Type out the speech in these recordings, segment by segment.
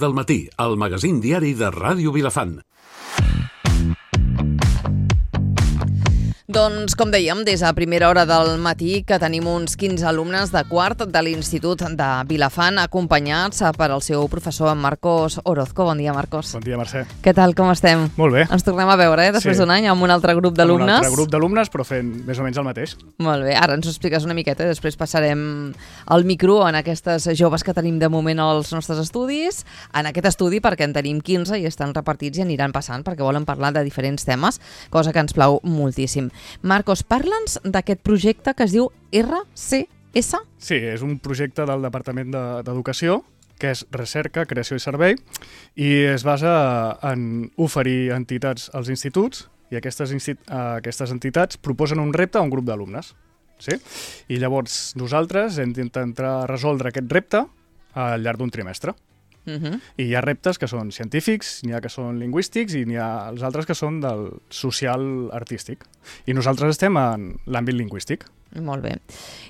Del matí, al magazín diari de Ràdio Vilafant. Doncs, com dèiem, des de primera hora del matí que tenim uns 15 alumnes de quart de l'Institut de Vilafant acompanyats per al seu professor Marcos Orozco. Bon dia, Marcos. Bon dia, Mercè. Què tal, com estem? Molt bé. Ens tornem a veure, després d'un any, amb un altre grup d'alumnes. Amb un altre grup d'alumnes, però fent més o menys el mateix. Molt bé, ara ens ho expliques una miqueta i després passarem el micro en aquestes joves que tenim de moment als nostres estudis, en aquest estudi perquè en tenim 15 i estan repartits i aniran passant perquè volen parlar de diferents temes, cosa que ens plau moltíssim. Marcos, parla'ns d'aquest projecte que es diu RCS? Sí, és un projecte del Departament d'Educació, que és Recerca, Creació i Servei, i es basa en oferir entitats als instituts, i aquestes entitats proposen un repte a un grup d'alumnes. Sí? I llavors nosaltres hem d'intentar resoldre aquest repte al llarg d'un trimestre. I hi ha reptes que són científics, n'hi ha que són lingüístics i n'hi ha els altres que són del social-artístic. I nosaltres estem en l'àmbit lingüístic. Molt bé.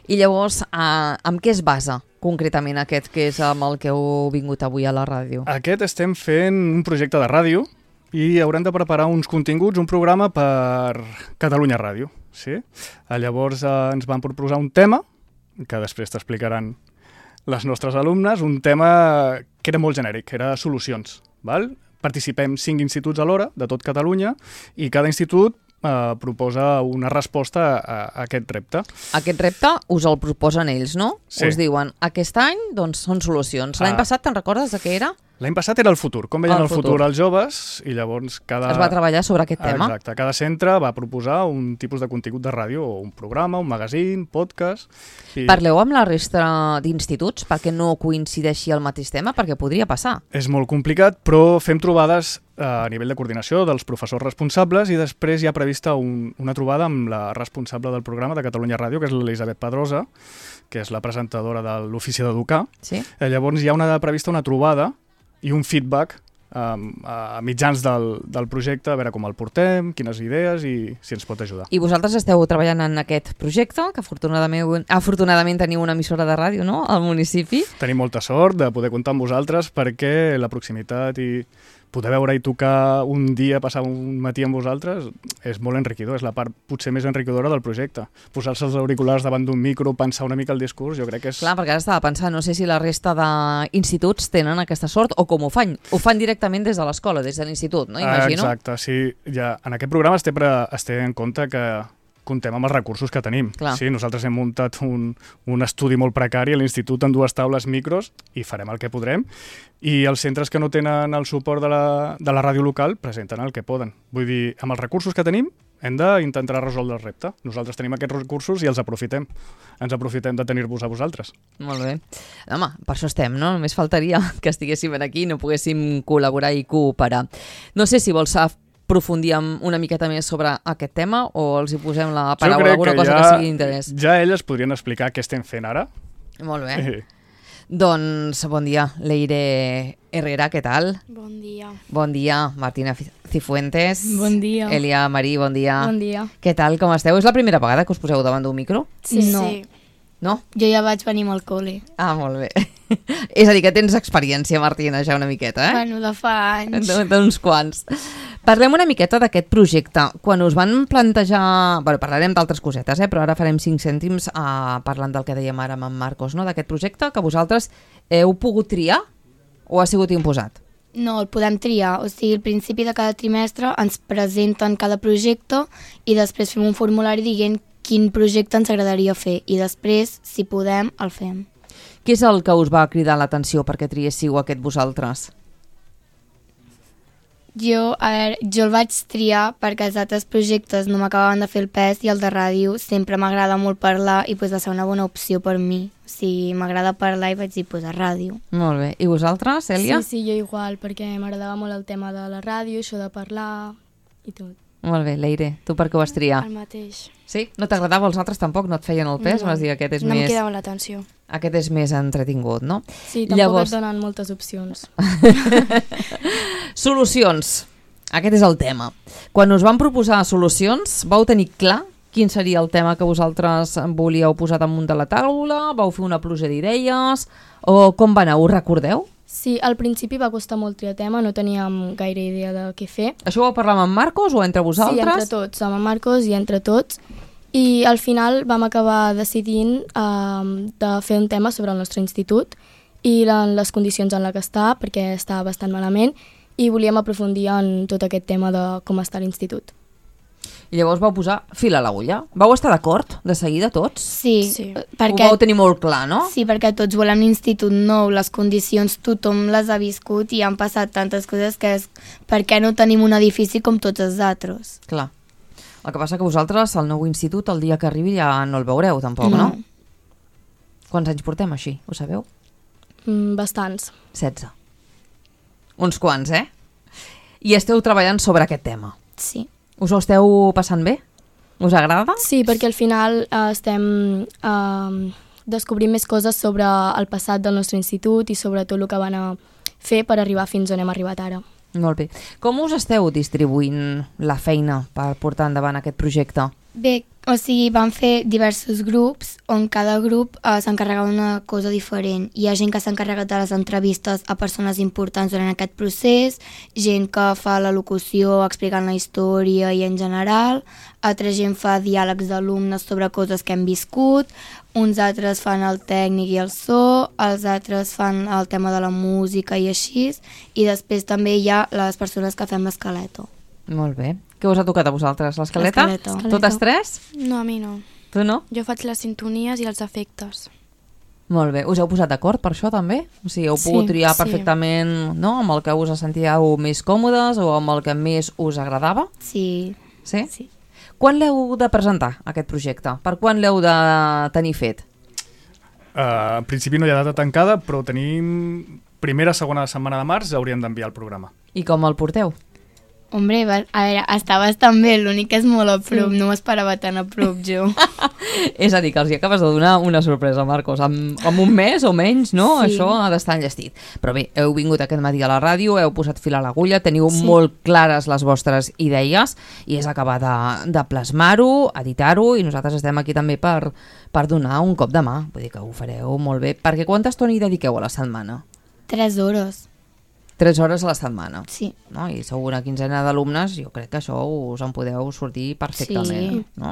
I llavors, amb què es basa concretament aquest que és amb el que heu vingut avui a la ràdio? Aquest estem fent un projecte de ràdio i haurem de preparar uns continguts, un programa per Catalunya Ràdio. Sí? Llavors ens van proposar un tema, que després t'explicaran les nostres alumnes, un tema que era molt genèric, era solucions. Val? Participem 5 instituts alhora, de tot Catalunya, i cada institut proposa una resposta a aquest repte. Aquest repte us el proposen ells, no? Sí. Us diuen, aquest any doncs, són solucions. L'any passat te'n recordes de què era? L'any passat era el futur, com veien el futur els joves, i llavors es va treballar sobre aquest tema. Exacte, cada centre va proposar un tipus de contingut de ràdio, o un programa, un magazín, podcast... Parleu amb la resta d'instituts perquè no coincideixi el mateix tema, perquè podria passar. És molt complicat, però fem trobades a nivell de coordinació dels professors responsables i després hi ha prevista una trobada amb la responsable del programa de Catalunya Ràdio, que és l'Elisabet Pedrosa, que és la presentadora de l'Ofici d'Educar. Sí? Llavors hi ha prevista una trobada i un feedback a mitjans del projecte, a veure com el portem, quines idees i si ens pot ajudar. I vosaltres esteu treballant en aquest projecte, que afortunadament teniu una emissora de ràdio, no?, al municipi. Tenim molta sort de poder comptar amb vosaltres perquè la proximitat i poder veure i tocar un dia, passar un matí amb vosaltres, és molt enriquidor, és la part potser més enriquidora del projecte. Posar-se els auriculars davant d'un micro, pensar una mica el discurs, jo crec que és... Clar, perquè ara estava pensant, no sé si la resta d'instituts tenen aquesta sort o com ho fan. Ho fan directament des de l'escola, des de l'institut, no? Imagino. Exacte, sí. Ja, en aquest programa es té en compte que comptem amb els recursos que tenim. Sí, nosaltres hem muntat un estudi molt precari a l'institut amb 2 taules micros i farem el que podrem. I els centres que no tenen el suport de la ràdio local presenten el que poden. Vull dir, amb els recursos que tenim hem d'intentar resoldre el repte. Nosaltres tenim aquests recursos i els aprofitem. Ens aprofitem de tenir-vos a vosaltres. Molt bé. Home, per això estem, no? Només faltaria que estiguéssim aquí i no poguéssim col·laborar i cooperar. No sé si vols aprofundir una miqueta més sobre aquest tema o els hi posem la paraula, alguna cosa que sigui d'interès? Ja elles podrien explicar què estem fent ara. Molt bé. Doncs bon dia, Leire Herrera, què tal? Bon dia. Bon dia, Martina Cifuentes. Bon dia. Elia Marí, bon dia. Bon dia. Què tal, com esteu? És la primera vegada que us poseu davant d'un micro? Sí, no. Sí. No? Jo ja vaig venir amb el col·le. Ah, molt bé. És a dir, que tens experiència, Martina, ja una miqueta, eh? Bueno, de fa anys. D'uns quants. Parlem una miqueta d'aquest projecte. Quan us van plantejar... Bueno, parlarem d'altres cosetes, però ara farem 5 cèntims parlant del que dèiem ara amb en Marcos, no? D'aquest projecte que vosaltres heu pogut triar o ha sigut imposat? No, el podem triar. O sigui, al principi de cada trimestre ens presenten cada projecte i després fem un formulari dient quin projecte ens agradaria fer i després, si podem, el fem. Què és el que us va cridar l'atenció perquè triéssiu aquest vosaltres? Jo el vaig triar perquè els altres projectes no m'acabaven de fer el pes i el de ràdio sempre m'agrada molt parlar i va ser una bona opció per mi. O sigui, m'agrada parlar i vaig dir, a ràdio. Molt bé. I vosaltres, Cèlia? Sí, jo igual, perquè m'agradava molt el tema de la ràdio, això de parlar i tot. Molt bé, Leire, tu per què ho vas triar? El mateix. Sí? No t'agradava els altres tampoc? No et feien el pes? No, vas dir, aquest és no més... em quedava l'atenció. Aquest és més entretingut, no? Sí, tampoc et donen moltes opcions. Solucions. Aquest és el tema. Quan us van proposar solucions, vau tenir clar quin seria el tema que vosaltres volíeu posar damunt de la taula? Vau fer una pluja d'idees? O com va anar? Ho recordeu? Sí, al principi va costar molt triar tema, no teníem gaire idea de què fer. Això ho vau parlar amb en Marcos o entre vosaltres? Sí, entre tots, amb en Marcos i entre tots. I al final vam acabar decidint de fer un tema sobre el nostre institut i les condicions en les que està, perquè està bastant malament, i volíem aprofundir en tot aquest tema de com està l'institut. I llavors vau posar fil a l'agulla. Vau estar d'acord de seguida tots? Sí, Ho perquè... vau tenir molt clar, no? Sí, perquè tots volem un institut nou, les condicions tothom les ha viscut i han passat tantes coses que és per què no tenim un edifici com tots els altres. Clar. El que passa que vosaltres, el nou institut, el dia que arribi ja no el veureu, tampoc, no? Quants anys portem així, ho sabeu? Bastants. 16. Uns quants, eh? I esteu treballant sobre aquest tema. Sí. Us ho esteu passant bé? Us agrada? Sí, perquè al final estem descobrint més coses sobre el passat del nostre institut i sobre tot el que van a fer per arribar fins on hem arribat ara. Molt bé. Com us esteu distribuint la feina per portar endavant aquest projecte? Bé, o sigui, vam fer diversos grups on cada grup s'encarregava d'una cosa diferent. Hi ha gent que s'ha encarregat de les entrevistes a persones importants durant aquest procés, gent que fa la locució explicant la història i en general, altra gent fa diàlegs d'alumnes sobre coses que hem viscut, uns altres fan el tècnic i el so, els altres fan el tema de la música i així, i després també hi ha les persones que fem l'esqueleto. Molt bé. Què us ha tocat a vosaltres? L'escaleta? L'escaleta. Totes tres? No, a mi no. Tu no? Jo faig les sintonies i els efectes. Molt bé. Us heu posat d'acord per això també? O sigui, heu pogut triar perfectament, no?, amb el que us sentíeu més còmodes o amb el que més us agradava? Sí. Sí? Sí. Quan l'heu de presentar, aquest projecte? Per quan l'heu de tenir fet? En principi no hi ha data tancada, però tenim primera, segona setmana de març hauríem d'enviar el programa. I com el porteu? Hombre, a veure, està bastant bé, l'únic que és molt a prop, no m'esperava tan a prop jo. És a dir, que els hi acabes de donar una sorpresa, Marcos. Amb un mes o menys, no? Sí. Això ha d'estar enllestit. Però bé, heu vingut aquest matí a la ràdio, heu posat fil a l'agulla, teniu molt clares les vostres idees i és acabar de plasmar-ho, editar-ho, i nosaltres estem aquí també per donar un cop de mà. Vull dir que ho fareu molt bé. Perquè quanta estona hi dediqueu a la setmana? 3 hores. 3 hores a la setmana. Sí. No? I sou una quinzena d'alumnes, jo crec que això us en podeu sortir perfectament. Sí. No?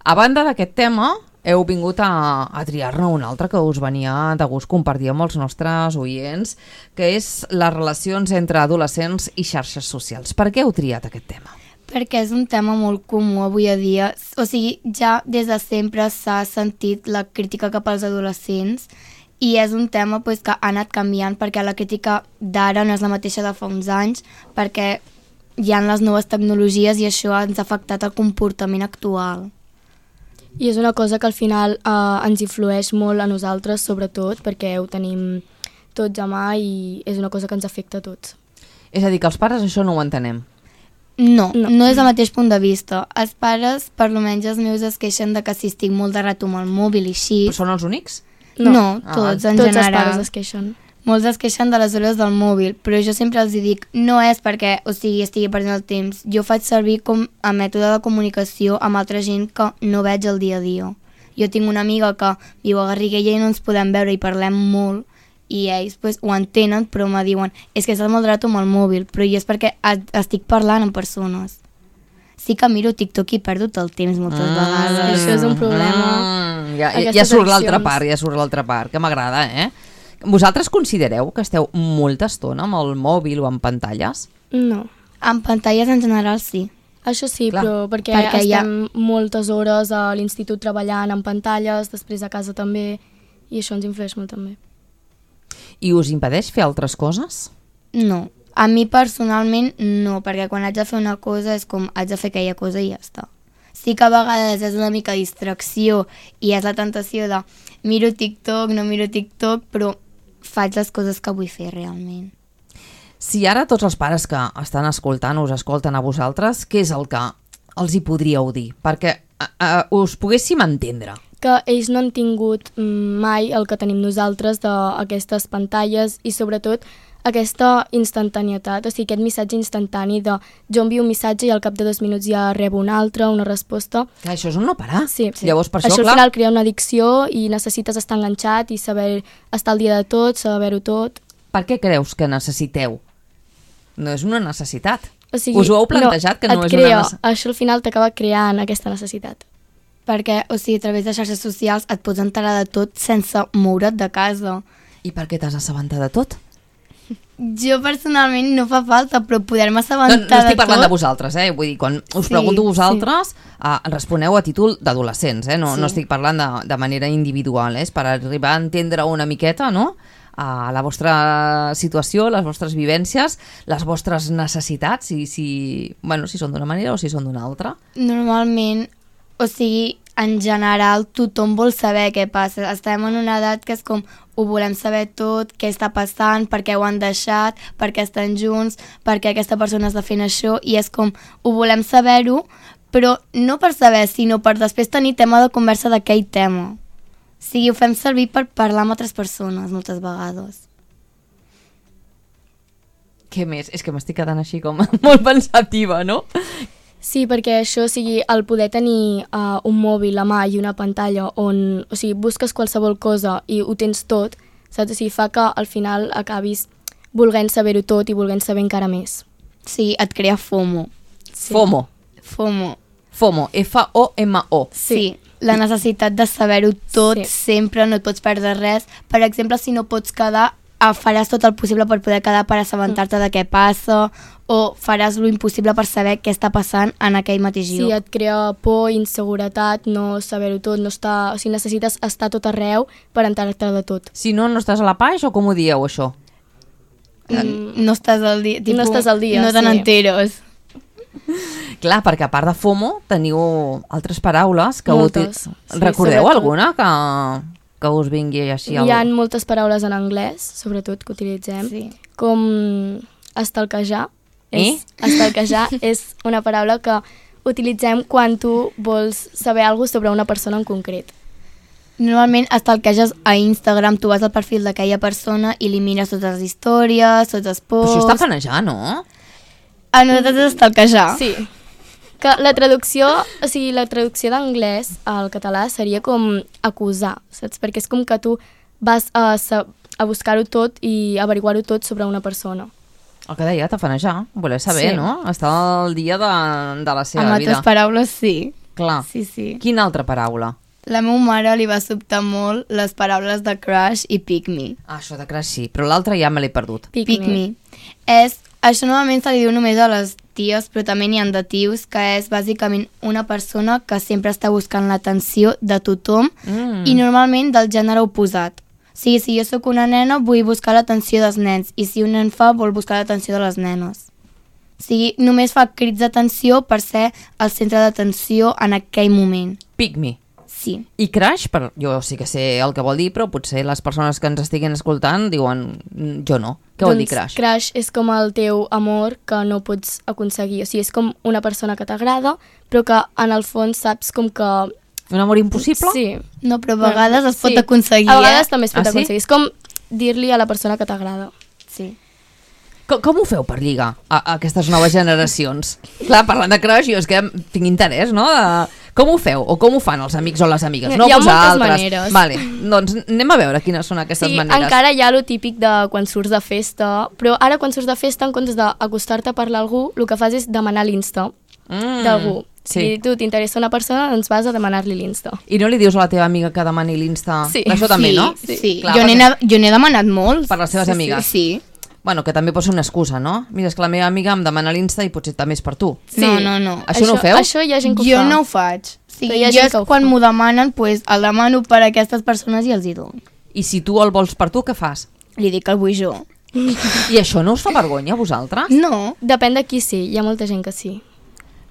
A banda d'aquest tema, heu vingut a triar-ne un altre que us venia de gust compartir amb els nostres oients, que és les relacions entre adolescents i xarxes socials. Per què heu triat aquest tema? Perquè és un tema molt comú avui a dia. O sigui, ja des de sempre s'ha sentit la crítica cap als adolescents i és un tema pues, que ha anat canviant perquè la crítica d'ara no és la mateixa de fa uns anys, perquè hi ha les noves tecnologies i això ens ha afectat el comportament actual. I és una cosa que al final ens influeix molt a nosaltres, sobretot, perquè ho tenim tots a mà i és una cosa que ens afecta a tots. És a dir, que els pares això no ho entenem. No és el mateix punt de vista. Els pares, per almenys els meus, es queixen de que si estic molt de rato amb el mòbil i així... Però són els únics? No, tots en Tots general. els pares es queixen. Molts es queixen de les hores del mòbil, però jo sempre els dic, no és perquè estigui perdent el temps. Jo faig servir com a mètode de comunicació amb altra gent que no veig el dia a dia. Jo tinc una amiga que viu a Garriguella i no ens podem veure i parlem molt, i ells pues, ho entenen, però me diuen és que estàs molt rato amb el mòbil, però jo és perquè estic parlant amb persones. Sí que miro TikTok i perdo el temps moltes vegades. Això és un problema. Ja surt l'altra part, que m'agrada, eh? Vosaltres considereu que esteu molta estona amb el mòbil o amb pantalles? No. En pantalles en general sí. Això sí, Clar. però perquè estem moltes hores a l'institut treballant en pantalles, després a casa també, i això ens influeix molt també. I us impedeix fer altres coses? No. A mi personalment no, perquè quan haig de fer una cosa és com haig de fer aquella cosa i ja està. Sí que a vegades és una mica distracció i és la tentació de miro TikTok, no miro TikTok, però faig les coses que vull fer realment. Si ara tots els pares que estan escoltant us escolten a vosaltres, què és el que els hi podríeu dir? Perquè us poguéssim entendre. Que ells no han tingut mai el que tenim nosaltres d'aquestes pantalles i sobretot aquesta instantanietat, o sigui, aquest missatge instantani de jo envio un missatge i al cap de 2 minuts ja rebo un altre, una resposta. Clar, això és un no parar. Sí. Llavors, per això, al clar... final crea una addicció i necessites estar enganxat i saber estar al dia de tot, saber-ho tot. Per què creus que necessiteu? No és una necessitat. O sigui, Us ho heu plantejat, que no és una necessitat? Això al final t'acaba creant aquesta necessitat. Perquè, o sigui, a través de xarxes socials et pots enterar de tot sense moure't de casa. I per què t'has assabentat de tot? Jo personalment no fa falta, però poder-me No assabentar de tot... estic parlant de vosaltres, Vull dir, quan us pregunto vosaltres, responeu a títol d'adolescents, No estic parlant de manera individual, És per arribar a entendre una miqueta, no?, a la vostra situació, les vostres vivències, les vostres necessitats, si són d'una manera o si són d'una altra. Normalment, o sigui, en general, tothom vol saber què passa. Estem en una edat que és com, ho volem saber tot, què està passant, per què ho han deixat, per què estan junts, per què aquesta persona està fent això, i és com, ho volem saber-ho, però no per saber, sinó per després tenir tema de conversa d'aquell tema. O sigui, ho fem servir per parlar amb altres persones, moltes vegades. Què més? És que m'estic quedant així com molt pensativa, no? Sí, perquè això, o sigui, el poder tenir un mòbil a mà i una pantalla on, o sigui, busques qualsevol cosa i ho tens tot, saps? O sigui, fa que al final acabis volent saber-ho tot i volent saber encara més. Sí, et crea FOMO. Sí. FOMO. FOMO, F-O-M-O. Sí, la necessitat de saber-ho tot, Sí. sempre, no et pots perdre res. Per exemple, si no pots quedar, faràs tot el possible per poder quedar, per assabentar-te de què passa, o faràs lo impossible per saber què està passant en aquell mateix lloc. Sí, et crea por, inseguretat, no saber-ho tot, no estar, o sigui, necessites estar tot arreu per enterar-te de tot. Si no estàs a la page o com ho dieu, això? No estàs al dia. No estàs al dia, No te sí. n'enteres. Clar, perquè a part de FOMO teniu altres paraules que Moltes. Sí, recordeu sobretot. alguna que us vingui així? Hi ha moltes paraules en anglès, sobretot, que utilitzem, Sí. com estalquejar. Eh? Estalquejar és una paraula que utilitzem quan tu vols saber alguna cosa sobre una persona en concret. Normalment estalqueges a Instagram, tu vas al perfil d'aquella persona i li mires totes les històries, tots els Però posts... això està fanejar, no? A nosaltres és estalquejar. Sí. Que la traducció, o sigui, la traducció d'anglès al català seria com acusar, saps? Perquè és com que tu vas a buscar-ho tot i averiguar-ho tot sobre una persona. El que deia, tafanejar, voler saber, Sí. no? Estar al dia de la seva Amb vida. altres paraules, sí. Clar. Sí, sí. Quina altra paraula? La meva mare li va sobtar molt les paraules de crush i pick me. Ah, això de crash sí, però l'altra ja me l'he perdut. Pick me. Això normalment se li diu només a les ties, però també n'hi ha de tios, que és bàsicament una persona que sempre està buscant l'atenció de tothom i normalment del gènere oposat. O sigui, si jo sóc una nena, vull buscar l'atenció dels nens, i si un nen fa, vol buscar l'atenció de les nenes. O sigui, només fa crits d'atenció per ser el centre d'atenció en aquell moment. Pick me. Sí. I crash, jo sí que sé el que vol dir, però potser les persones que ens estiguin escoltant diuen jo no. Què vol dir crash? Crush és com el teu amor que no pots aconseguir. O sigui, és com una persona que t'agrada, però que en el fons saps com que... Un amor impossible? Sí. No, però a vegades es pot Sí. aconseguir, A vegades també es pot Ah, sí? aconseguir. És com dir-li a la persona que t'agrada. Sí. Com ho feu per lligar a aquestes noves generacions? Clar, parlant de crush, jo és que tinc interès, no? Com ho feu? O com ho fan els amics o les amigues? No Hi ha moltes vosaltres. maneres. Vale, doncs anem a veure quines són aquestes Sí, maneres. encara hi ha lo típic de quan surts de festa, però ara quan surts de festa, en comptes d'acostar-te a parlar a algú, el que fas és demanar l'Insta d'algú. Sí. Si tu t'interessa una persona, doncs vas a demanar-li l'Insta. I no li dius a la teva amiga que demani l'Insta? Sí. Això també, sí, no? Sí, Clar, jo perquè- n'he demanat molts. Per les teves amigues. Sí. Bueno, que també pot ser una excusa, no? Mira, és que la meva amiga em demana l'Insta i potser també és per tu. No, no, no. Això no ho feu? Això hi ha gent que ho Jo fa. no ho faig. O sigui, Però hi ha jo gent és que ho quan fa. m'ho demanen, pues, el demano per a aquestes persones i els hi dono. I si tu el vols per tu, què fas? Li dic que el vull jo. I això no us fa vergonya a vosaltres? No, Depèn de qui sí, hi ha molta gent que sí.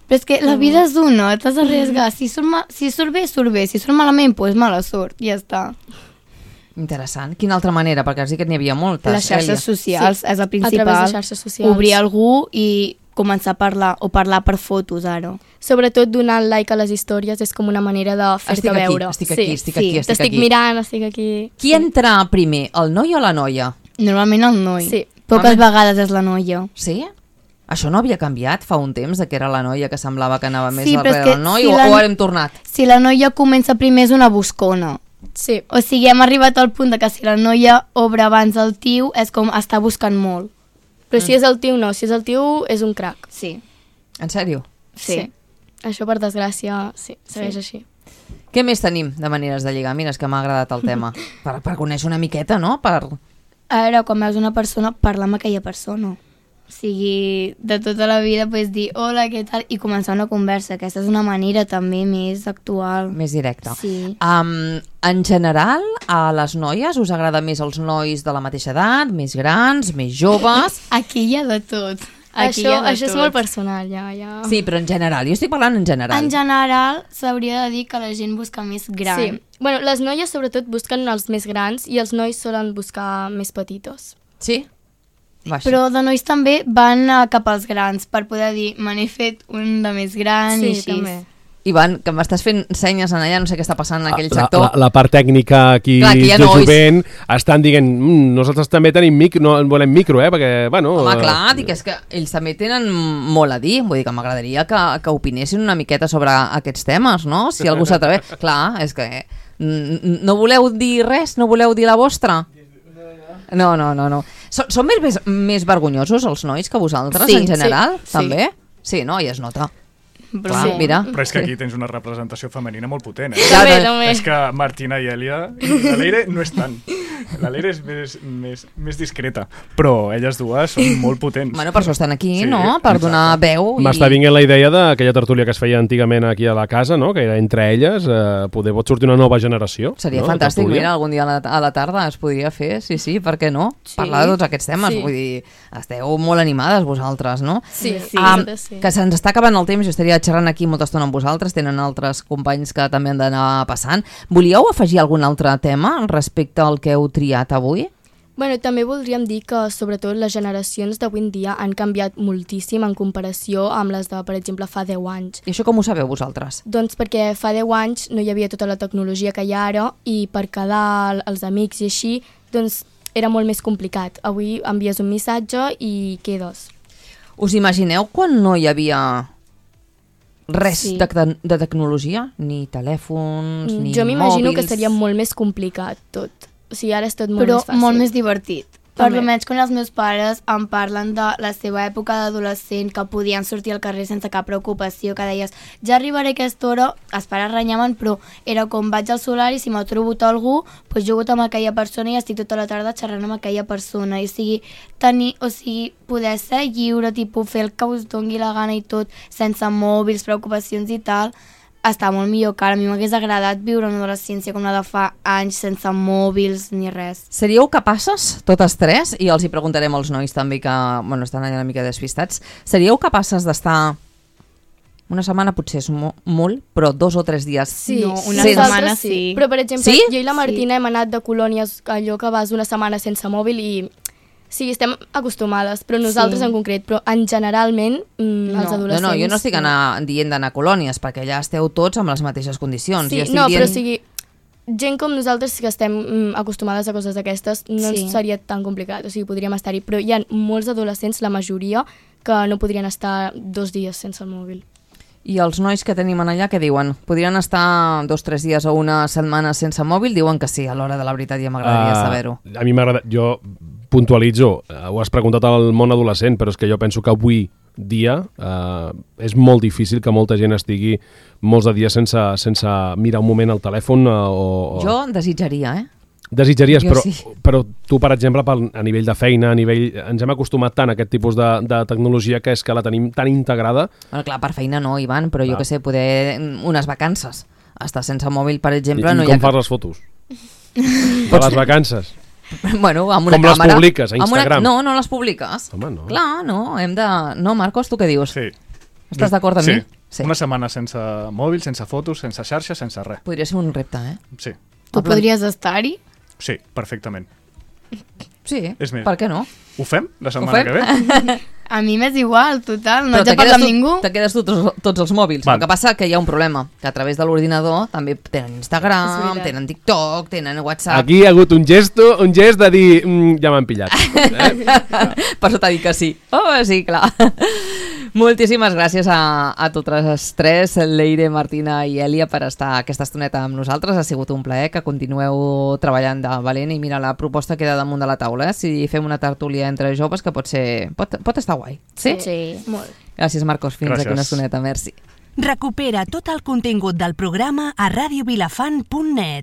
però és que la vida és una, t'has d'arriesgar. Si surt bé, surt bé. Si surt malament, pues mala sort, ja està. Interessant. Quina altra manera? Perquè has dit que n'hi havia moltes. Les xarxes socials Sí, és el a principal. través de xarxes socials. Obrir algú i començar a parlar, o parlar per fotos, ara. Sobretot donant like a les històries és com una manera de fer-te Estic aquí, veure. estic aquí, estic aquí, estic T'estic aquí. mirant, estic aquí. Qui entra primer, el noi o la noia? Normalment el noi. Sí. Poques vegades és la noia. Sí? Això no havia canviat fa un temps, que era la noia que semblava que anava més Sí, però és darrere que del noi, si o la- ara hem tornat? Si la noia comença primer és una buscona. Sí. O sigui, hem arribat al punt de que si la noia obre abans el tio és com està buscant molt. Però si és el tio, no. Si és el tio, és un crac. Sí. En sèrio? Sí. Això, per desgràcia, sí, segueix així. Què més tenim de maneres de lligar? Mira, és que m'ha agradat el tema. Per conèixer una miqueta, no? A veure, quan veus una persona, parlar amb aquella persona. O sigui, de tota la vida pots dir hola, què tal? I començar una conversa. Aquesta és una manera també més actual. Més directa. Sí. En general, a les noies us agrada més els nois de la mateixa edat, més grans, més joves? Aquí hi ha de tot. Aquí Això, hi ha de això és tot. molt personal, ja. Sí, però en general. Jo estic parlant en general. En general, s'hauria de dir que la gent busca més gran. Sí. Bueno, les noies sobretot busquen els més grans i els nois solen buscar més petitos. Sí? Va, sí. Però de nois també van cap als grans per poder dir, me n'he fet un de més gran i així. també. Ivan, que m'estàs fent senyes en allà, no sé què està passant en aquell sector. La part tècnica aquí Clar, aquí hi ha de nois. jovent estan dient nosaltres també tenim micro, no volem micro, perquè, bueno... Home, clar, dic, és que ells també tenen molt a dir, vull dir que m'agradaria que opinessin una miqueta sobre aquests temes, no? Si algú s'atreveix. Clar, és que no voleu dir res? No voleu dir la vostra? No. Són més vergonyosos els nois que vosaltres, Sí, en general, sí. també? Sí, no? I es nota. Però Clar, sí. mira. Però és que aquí tens una representació femenina molt potent, També, És que Martina i Elia... La Leire no és tant. La Leire és més discreta, però elles dues són molt potents. Bueno, per això estan aquí, Sí, no? Per donar veu. M'està vinguent la idea d'aquella tertúlia que es feia antigament aquí a la casa, no? Que era entre elles, poder pot sortir una nova generació. Seria no? fantàstic, Tertúlia. mira, algun dia a la tarda es podria fer, sí, per què no? Sí. Parlar de tots aquests temes, Sí. vull dir, esteu molt animades vosaltres, no? Sí, sí. Sí. Que se'ns està acabant el temps, jo estaria xerrant aquí molta estona amb vosaltres, tenen altres companys que també han d'anar passant. Volíeu afegir algun altre tema respecte al que heu triat avui? Bueno, també voldríem dir que, sobretot, les generacions d'avui en dia han canviat moltíssim en comparació amb les de, per exemple, fa 10 anys. I això com ho sabeu vosaltres? Doncs perquè fa 10 anys no hi havia tota la tecnologia que hi ha ara i per quedar els amics i així, doncs era molt més complicat. Avui envies un missatge i quedes. Us imagineu quan no hi havia res Sí. de tecnologia? Ni telèfons, ni Jo m'imagino mòbils? que seria molt més complicat tot. O sigui, ara és tot molt Però més fàcil. molt més divertit. Per També. almenys quan els meus pares em parlen de la seva època d'adolescent, que podien sortir al carrer sense cap preocupació, que deies, ja arribaré a aquesta hora, els pares renyaven, però era com vaig al solar i si m'ha trobat algú, doncs jugo amb aquella persona i estic tota la tarda xerrant amb aquella persona. I o sigui, poder ser lliure, tipus, fer el que us doni la gana i tot, sense mòbils, preocupacions i tal, està molt millor que ara. A mi m'hagués agradat viure una adolescència com la de fa anys, sense mòbils ni res. Seríeu capaces, totes tres, i els hi preguntarem als nois també que bueno, estan allà una mica despistats, seríeu capaces d'estar una setmana, potser és molt, però 2 o 3 dies Sí, No, una sense- setmana sí. Però, per exemple, Sí? jo i la Martina hem anat de colònies, allò que vas una setmana sense mòbil i... Sí, estem acostumades, però nosaltres Sí. en concret, però en generalment els adolescents... No, jo no estic dient d'anar a colònies, perquè allà esteu tots amb les mateixes condicions. Sí, jo estic no, dient... però o sigui, gent com nosaltres que estem acostumades a coses d'aquestes no Sí. ens seria tan complicat, o sigui, podríem estar-hi, però hi ha molts adolescents, la majoria, que no podrien estar 2 dies sense el mòbil. I els nois que tenim allà, què diuen? Podrien estar 2 o 3 dies o una setmana sense mòbil? Diuen que sí, a l'hora de la veritat ja m'agradaria saber-ho. A mi m'agrada... Jo puntualitzo, ho has preguntat al món adolescent, però és que jo penso que avui dia és molt difícil que molta gent estigui molts de dies sense mirar un moment el telèfon Jo desitjaria, Desitjaries, Jo sí. però tu, per exemple, a nivell de feina, ens hem acostumat tant a aquest tipus de tecnologia que és que la tenim tan integrada. Bueno, clar, per feina no, Ivan, però jo Clar. que sé, poder unes vacances. Estar sense mòbil, per exemple, I no hi com ha... fas les fotos? De les vacances? Bueno, amb una Com les càmera. publiques, a Amb Instagram? No les publiques. Home, no. Clar, no, hem de... No, Marcos, tu què dius? Sí. Estàs d'acord amb sí. mi? Sí. Una setmana sense mòbil, sense fotos, sense xarxa, sense res. Podria ser un repte, Sí, Tu podries estar-hi? sí, perfectament. Sí, És més. per què no? Ho fem la Ho setmana fem? que ve? A mi m'és igual, total, no Però haig de te parlar quedes amb ningú. Te quedes tu tots els mòbils. Val. El que passa que hi ha un problema, que a través de l'ordinador també tenen És Instagram, veritat. tenen TikTok, tenen WhatsApp. Aquí hi ha hagut un gest de dir ja m'han pillat. Per això t'ha dit que sí. Oh, sí, clar. Moltíssimes gràcies a totes tres, Leire, Martina i Èlia, per estar aquesta estoneta amb nosaltres. Ha sigut un plaer, que continueu treballant de valent, i mira, la proposta queda damunt de la taula, si fem una tertúlia entre joves, que pot estar guai. Sí? Sí, molt. Gràcies, Marcos. Fins aquí una estoneta. Merci. Recupera tot el contingut del programa a radiovilafant.net.